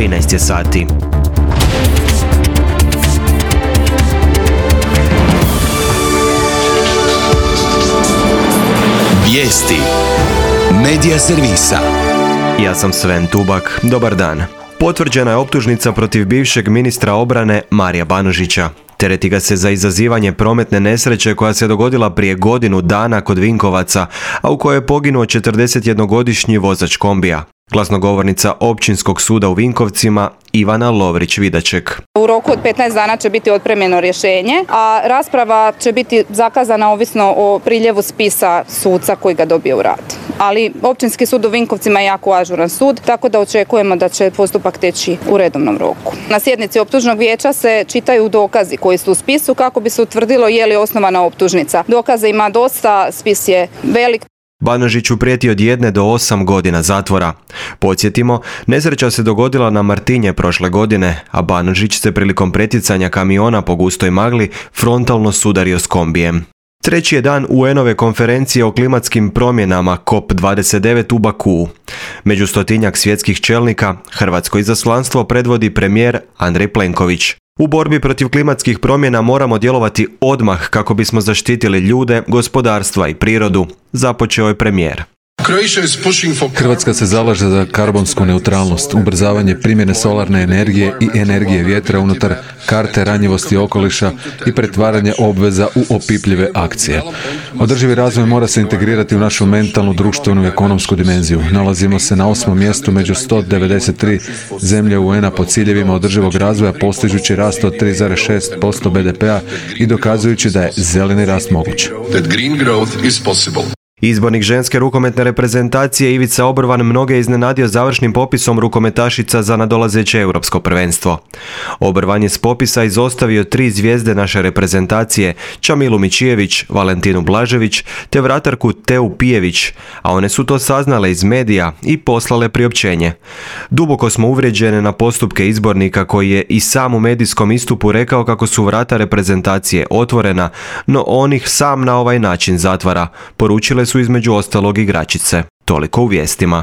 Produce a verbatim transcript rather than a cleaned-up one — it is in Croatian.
trinaest je sati. Vijesti Medija servisa. Ja sam Sven Tubak. Dobar dan. Potvrđena je optužnica protiv bivšeg ministra obrane Marija Banožića. Tereti ga se za izazivanje prometne nesreće koja se dogodila prije godinu dana kod Vinkovaca, a u kojoj je poginuo četrdesetjednogodišnji vozač kombija. Glasnogovornica Općinskog suda u Vinkovcima Ivana Lovrić-Vidaček. U roku od petnaest dana će biti otpremljeno rješenje, a rasprava će biti zakazana ovisno o priljevu spisa suca koji ga dobije u rad. Ali Općinski sud u Vinkovcima je jako ažuran sud, tako da očekujemo da će postupak teći u redovnom roku. Na sjednici optužnog vijeća se čitaju dokazi koji su u spisu kako bi se utvrdilo je li osnovana optužnica. Dokaza ima dosta, spis je velik. Banožiću prijeti od jedne do osam godina zatvora. Podsjetimo, nesreća se dogodila na Martinje prošle godine, a Banožić se prilikom pretjecanja kamiona po gustoj magli frontalno sudario s kombijem. Treći je dan U N-ove konferencije o klimatskim promjenama C O P dvadeset devet u Bakuu. Među stotinjak svjetskih čelnika hrvatsko izaslanstvo predvodi premijer Andrej Plenković. U borbi protiv klimatskih promjena moramo djelovati odmah kako bismo zaštitili ljude, gospodarstva i prirodu, započeo je premijer. Hrvatska se zalaže za karbonsku neutralnost, ubrzavanje primjene solarne energije i energije vjetra unutar karte ranjivosti okoliša i pretvaranje obveza u opipljive akcije. Održivi razvoj mora se integrirati u našu mentalnu, društvenu i ekonomsku dimenziju. Nalazimo se na osmom mjestu među sto devedeset tri zemlje U N-a po ciljevima održivog razvoja, postižući rast od tri zarez šest posto B D P-a i dokazujući da je zeleni rast moguć. Izbornik ženske rukometne reprezentacije Ivica Obrvan mnoge iznenadio završnim popisom rukometašica za nadolazeće europsko prvenstvo. Obrvan je s popisa izostavio tri zvijezde naše reprezentacije, Čamilu Mičijević, Valentinu Blažević te vratarku Teu Pijević, a one su to saznale iz medija i poslale priopćenje. Duboko smo uvrijeđene na postupke izbornika koji je i sam u medijskom istupu rekao kako su vrata reprezentacije otvorena, no on ih sam na ovaj način zatvara, poručile su između ostalog igračice. Toliko u vijestima.